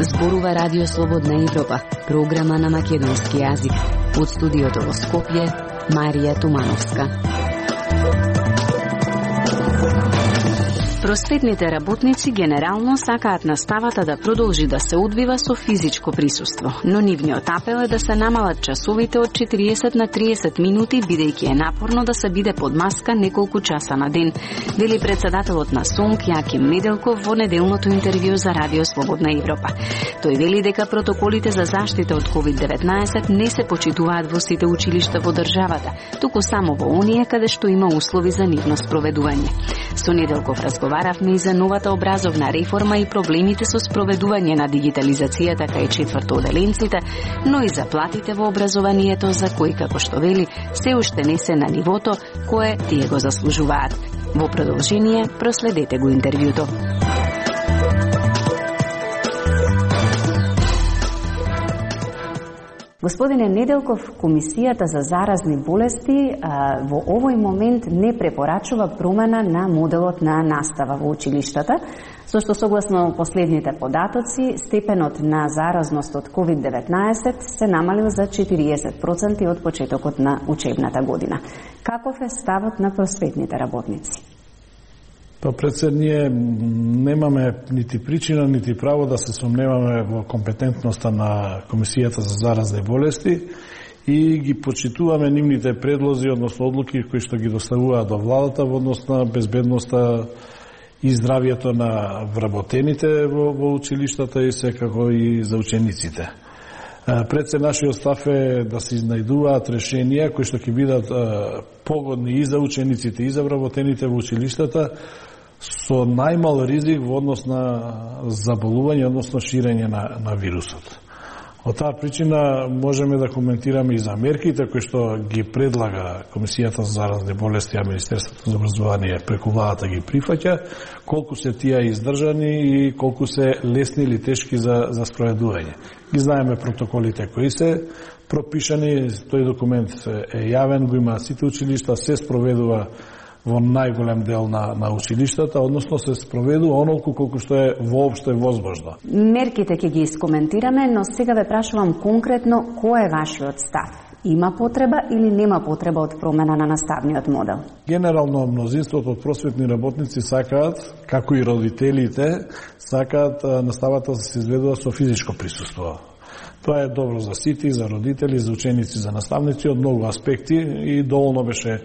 Зборува Радио Слободна Европа, програма на македонски јазик. Од студиото во Скопје, Марија Тумановска. Просветните работници генерално сакаат наставата да продолжи да се одвива со физичко присуство, но нивниот апел е да се намалат часовите од 40 на 30 минути, бидејќи е напорно да се биде под маска неколку часа на ден, вели председателот на СОНК Јаким Неделков во неделното интервју за Радио Слободна Европа. Тој вели дека протоколите за заштита од COVID-19 не се почитуваат во сите училишта во државата, туку само во оние каде што има услови за нивно спроведување. Со Неделков разговаравме и за новата образовна реформа и проблемите со спроведување на дигитализацијата кај четвртоделенците, но и за платите во образованието за кои, како што вели, се уште не се на нивото кое тие го заслужуваат. Во продолжение, проследете го интервјуто. Господине Неделков, Комисијата за заразни болести во овој момент не препорачува промена на моделот на настава во училиштата, со што согласно последните податоци, степенот на заразност од COVID-19 се намалил за 40% од почетокот на учебната година. Каков е ставот на просветните работници? Па пред ние немаме нити причина, нити право да се сомневаме во компетентноста на Комисијата за заразни болести и ги почитуваме нивните предлози, односно одлуки кои што ги доставуваат до владата во однос на безбедноста и здравието на вработените во училиштата и секако и за учениците. Пред се нашиот став е да се изнајдуваат решенија кои што ќе бидат погодни и за учениците и за вработените во училиштата со најмал ризик во однос на заболување, односно ширење на вирусот. Од таа причина можеме да коментираме и за мерките кои што ги предлага Комисијата за заразни болести, а Министерството за образование преку владата ги прифаќа, колку се тие издржани и колку се лесни или тешки за спроведување. Ги знаеме протоколите кои се пропишани, тој документ е јавен, го има сите училишта, се спроведува во најголем дел на училиштата, односно се спроведува онолку колку што е воопшто возможно. Мерките ќе ги искоментираме, но сега ве прашувам конкретно кој е вашиот став? Има потреба или нема потреба од промена на наставниот модел? Генерално мнозинството од просветни работници сакаат, како и родителите, сакаат наставата да се изведува со физичко присуство. Тоа е добро за сите, за родители, за ученици, за наставници од многу аспекти и доволно беше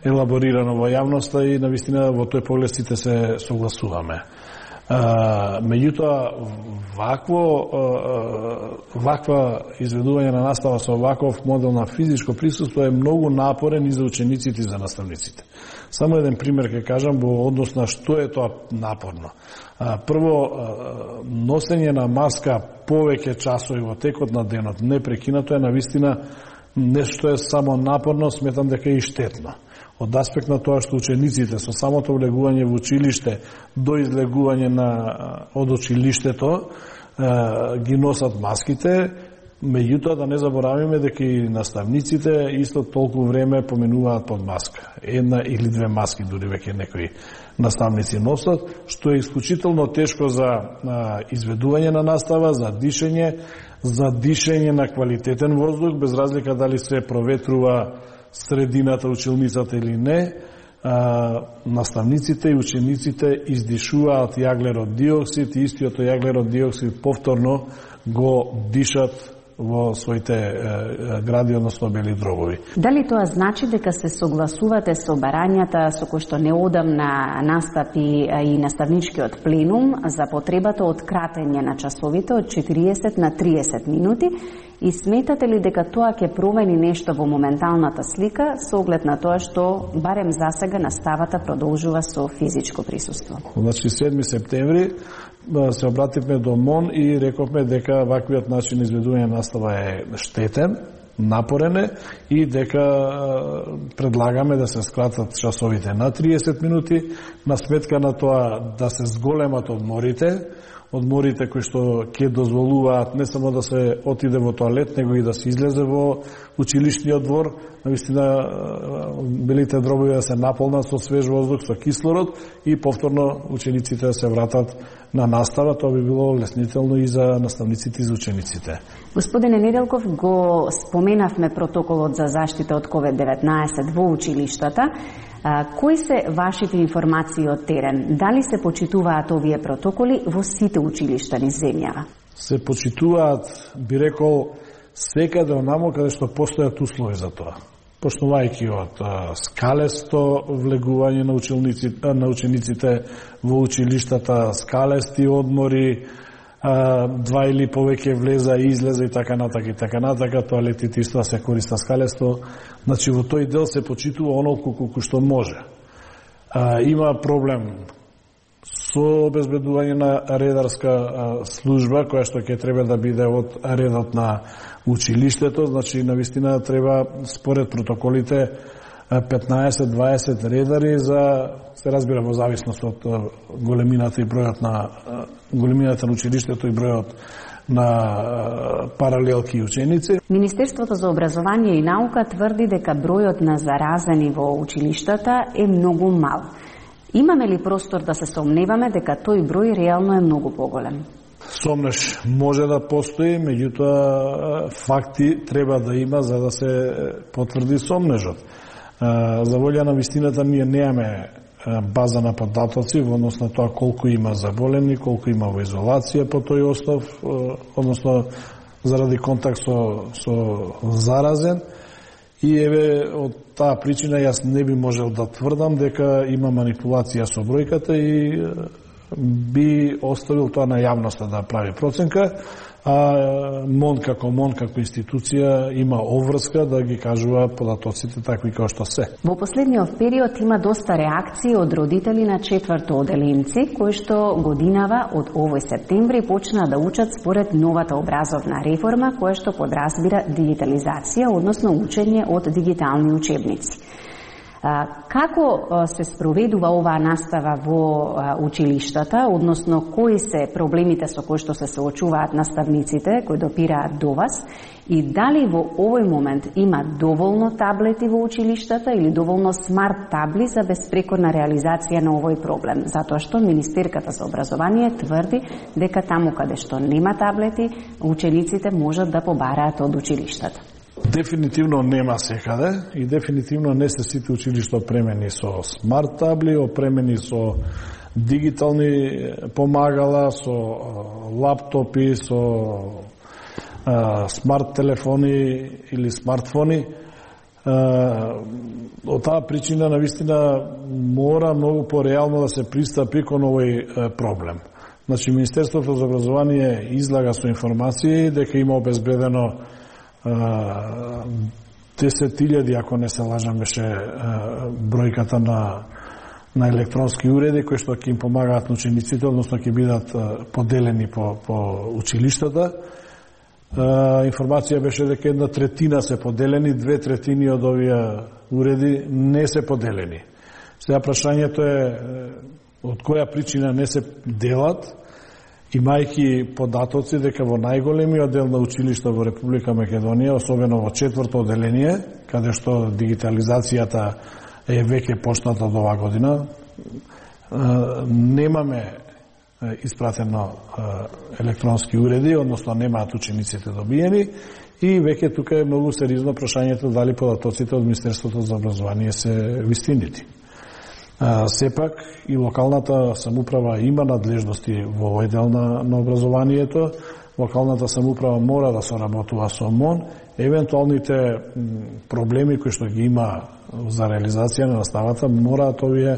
елаборирано во јавноста и навистина во тој поглед сите се согласуваме. Меѓутоа, ваква изведување на настава со ваков модел на физичко присуство е многу напорен и за учениците и за наставниците. Само еден пример ќе кажам во однос на што е тоа напорно. Прво, носење на маска повеќе часови во текот на денот, непрекинато е навистина нешто е само напорно, сметам дека е и штетно. Од аспект на тоа што учениците со самото влегување во училиште до излегување од училиштето ги носат маските, меѓутоа да не заборавиме дека и наставниците исто толку време поминуваат под маска. Една или две маски дури веќе некои наставници носат, што е исклучително тешко за изведување на настава, за дишење на квалитетен воздух, без разлика дали се проветрува средината, училницата или не. Наставниците и учениците издишуваат јаглерод диоксид и истиот јаглерод диоксид повторно го дишат во своите гради, односно бели дробови. Дали тоа значи дека се согласувате со барањата со кои што неодамна настапи и наставничкиот пленум за потребата од кратење на часовите од 40 на 30 минути и сметате ли дека тоа ќе промени нешто во моменталната слика со оглед на тоа што барем засега наставата продолжува со физичко присуство? Значи 7 септември се обративме до МОН и рековме дека ваквиот начин изведување настава е штетен, напорен е и дека предлагаме да се скратат часовите на 30 минути, на сметка на тоа да се зголемат одморите, одморите кои што ќе дозволуваат не само да се отиде во тоалет, него и да се излезе во училишниот двор, навистина белите дробови да се наполнат со свеж воздух, со кислород и повторно учениците да се вратат на настава. Тоа би било леснително и за наставниците и за учениците. Господине Неделков, го споменавме протоколот за заштита од COVID-19 во училиштата. Кои се вашите информации од терен? Дали се почитуваат овие протоколи во сите училишта низ земјава? Се почитуваат, би рекол, секаде онамо каде што постојат услови за тоа. Почнувајќи од скалесто влегување на учениците во училиштата, скалести одмори, два или повеќе влеза и излеза и така натака, тоалетите исто се користа скалесто. Значи во тој дел се почитува онолку колку што може. Има проблем со обезбедување на редарска служба, која што ќе треба да биде од редот на училиштето, значи навистина треба според протоколите 15-20 редари за, се разбира во зависност од големината и бројот на големината на училиштето и бројот на паралелки и ученици. Министерството за образование и наука тврди дека бројот на заразени во училиштата е многу мал. Имаме ли простор да се сомневаме дека тој број реално е многу поголем? Сомнеш може да постои, меѓутоа факти треба да има за да се потврди сомнежот. За волја на вистината ние немаме база на податоци во однос на тоа колку има заболени, колку има во изолација по тој основ, односно заради контакт со заразен. И еве од таа причина јас не би можел да тврдам дека има манипулација со бројката и би оставил тоа на јавноста да прави проценка, а МОН како институција има обврска да ги кажува податоците такви како што се. Во последниот период има доста реакции од родители на четврто оделенци, кои што годинава од овој септември почнаа да учат според новата образовна реформа, која што подразбира дигитализација, односно учење од дигитални учебници. Како се спроведува оваа настава во училиштата, односно кои се проблемите со кои што се соочуваат наставниците кои допираат до вас и дали во овој момент има доволно таблети во училиштата или доволно смарт табли за безпрекорна реализација на овој проблем, затоа што Министерката за образование тврди дека таму каде што нема таблети, учениците можат да побараат од училиштата. Дефинитивно нема секаде и дефинитивно не се сите училишта опремени со смарт табли, опремени со дигитални помагала, со лаптопи, со смарт телефони или смартфони. Од таа причина навистина мора многу пореално да се пристапи кон овој проблем. Значи Министерството за образование излага со информации дека има обезбедено 10.000, ако не се лажам, беше бројката на електронски уреди кои што ќе им помагаат на учениците, односно ќе бидат поделени по училиштата. Информација беше дека 1/3 се поделени, 2/3 од овие уреди не се поделени. Сега прашањето е од која причина не се делат, имајќи податоци дека во најголемиот дел на училишта во Република Македонија, особено во четврто оделение, каде што дигитализацијата е веќе почната од оваа година, немаме испратено електронски уреди, односно немаат учениците добиени и веќе тука е многу сериозно прашањето дали податоците од Министерството за образование се вистинити. Сепак и локалната самоуправа има надлежности во овој дел на образованието. Локалната самоуправа мора да соработува со МОН. Евентуалните проблеми кои што ги има за реализација на наставата мораат овие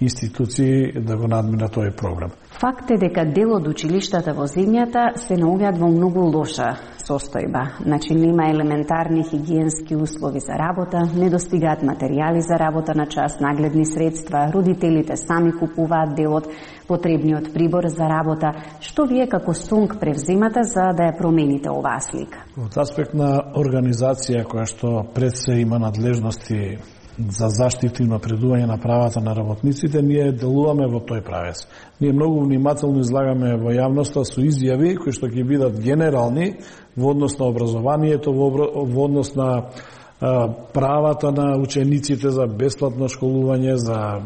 институции да го надминат овој проблем. Факт е дека дел од училиштата во земјата се наоѓаат во многу лоша состојба. Значи нема елементарни хигиенски услови за работа, не достигаат материјали за работа на час, нагледни средства, родителите сами купуваат дел од потребниот прибор за работа. Што вие како СУНК превземате за да ја промените оваа слика? Од аспект на организација која што пред се има надлежности за заштита и напредување на правата на работниците, ние делуваме во тој правец. Ние многу внимателно излагаме во јавноста со изјави кои што ќе бидат генерални во однос на образованието, во однос на правата на учениците за бесплатно школување, за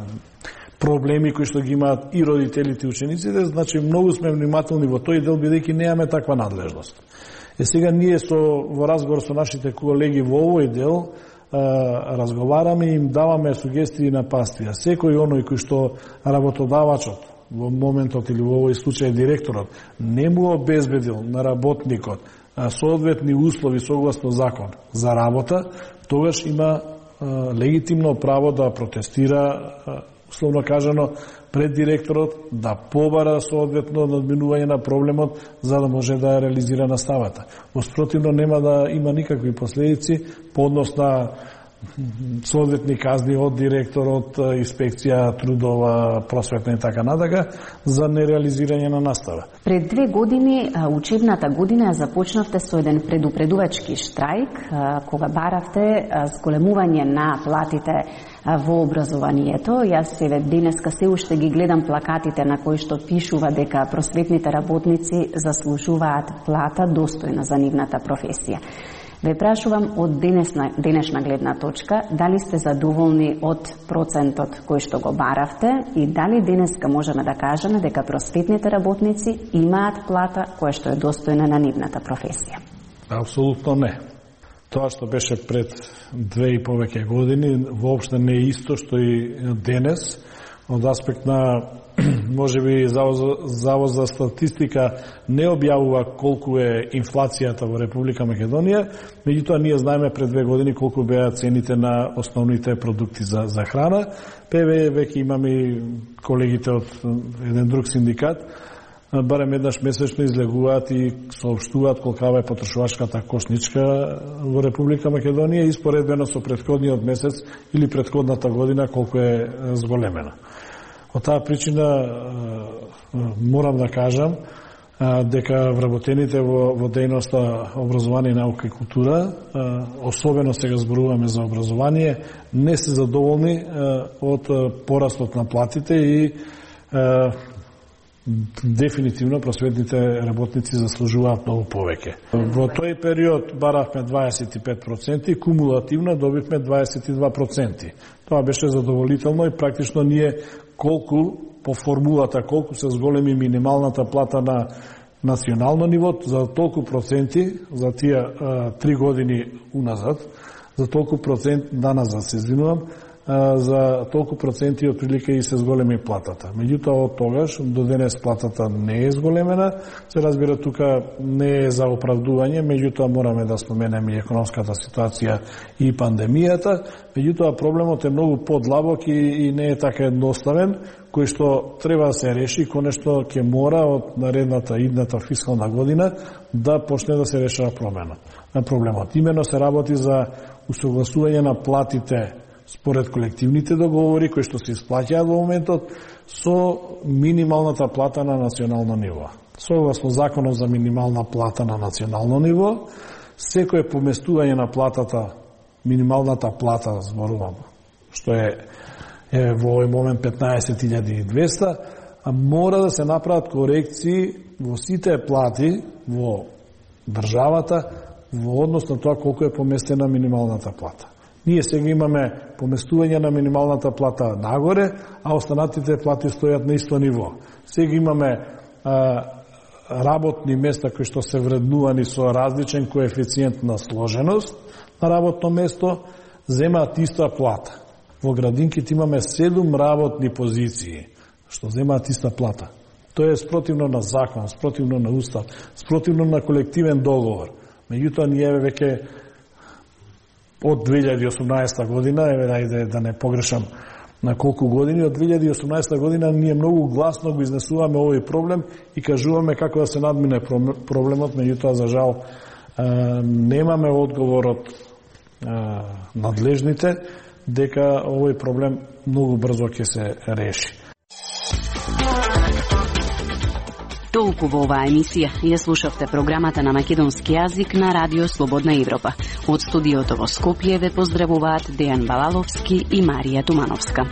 проблеми кои што ги имаат и родителите и учениците. Значи, многу сме внимателни во тој дел, бидејќи немаме таква надлежност. Сега ние во разговор со нашите колеги во овој дел разговараме и им даваме сугестии на пастија. Секој оној кој што работодавачот во моментот или во овој случај директорот не му обезбедил на работникот соодветни услови согласно закон за работа, тогаш има легитимно право да протестира, условно кажано, пред директорот, да побара соодветно надминување на проблемот за да може да реализира наставата. Воспротивно нема да има никакви последици по однос на соодветни казни од директорот, инспекција, трудова, просветна и така натака за нереализирање на настава. Пред 2 години, учебната година, започнавте со еден предупредувачки штрајк, кога баравте зголемување на платите во образованието. Јас еве денеска се уште ги гледам плакатите на кои што пишува дека просветните работници заслужуваат плата достојна за нивната професија. Ве прашувам од денешна гледна точка, дали сте задоволни од процентот кој што го баравте и дали денеска можеме да кажеме дека просветните работници имаат плата која што е достојна на нивната професија? Апсолутно не. Тоа што беше пред 2 и повеќе години воопште не е исто што и денес. Од аспект на можеби Завод за статистика не објавува колку е инфлацијата во Република Македонија, меѓутоа ние знаеме пред 2 години колку беа цените на основните продукти за храна. Веќе имаме и колегите од еден друг синдикат, барем еднаш месечно излегуваат и соопштуваат колкава е потрошувачката кошничка во Република Македонија и споредбено со претходниот месец или претходната година колку е зголемена. Од таа причина морам да кажам дека вработените во дејноста образование, наука и култура, особено сега зборуваме за образование, не се задоволни од порастот на платите и дефинитивно просветните работници заслужуваат многу повеќе. Во тој период баравме 25%, кумулативно добивме 22%. Тоа беше задоволително и практично ние колку по формулата, колку се зголеми минималната плата на национално ниво, за толку проценти, за тие 3 години уназад, за толку процент, даназад се извинувам, за толку проценти отприлика и се зголеми платата. Меѓутоа од тогаш до денес платата не е зголемена. Се разбира, тука не е за оправдување, меѓутоа мораме да споменеме и економската ситуација и пандемијата. Меѓутоа проблемот е многу подлабок и не е така едноставен, кој што треба да се реши, конечно ќе мора од наредната идната фискална година да почне да се решава проблемот. Имено се работи за усогласување на платите според колективните договори кои што се исплаќаат во моментот со минималната плата на национално ниво. Согласно законот за минимална плата на национално ниво, секое поместување на платата, минималната плата, зборувам, што е во овој момент 15.200, мора да се направат корекции во сите плати во државата во однос на тоа колку е поместена минималната плата. Ние сега имаме поместување на минималната плата нагоре, а останатите плати стојат на исто ниво. Сега имаме работни места кои што се вреднувани со различен коефициент на сложеност на работно место, земаат иста плата. Во градинките имаме 7 работни позиции што земаат иста плата. Тоа е спротивно на закон, спротивно на устав, спротивно на колективен договор. Меѓутоа ние веќе од 2018 година, ајде да не погрешам на колку години, од 2018 година ние многу гласно го изнесуваме овој проблем и кажуваме како да се надмине проблемот, меѓутоа за жал немаме одговор од надлежните дека овој проблем многу брзо ќе се реши. Толку во оваа емисија. Ја слушавте програмата на македонски јазик на Радио Слободна Европа. Од студиото во Скопје ве поздравуваат Дејан Балаловски и Марија Тумановска.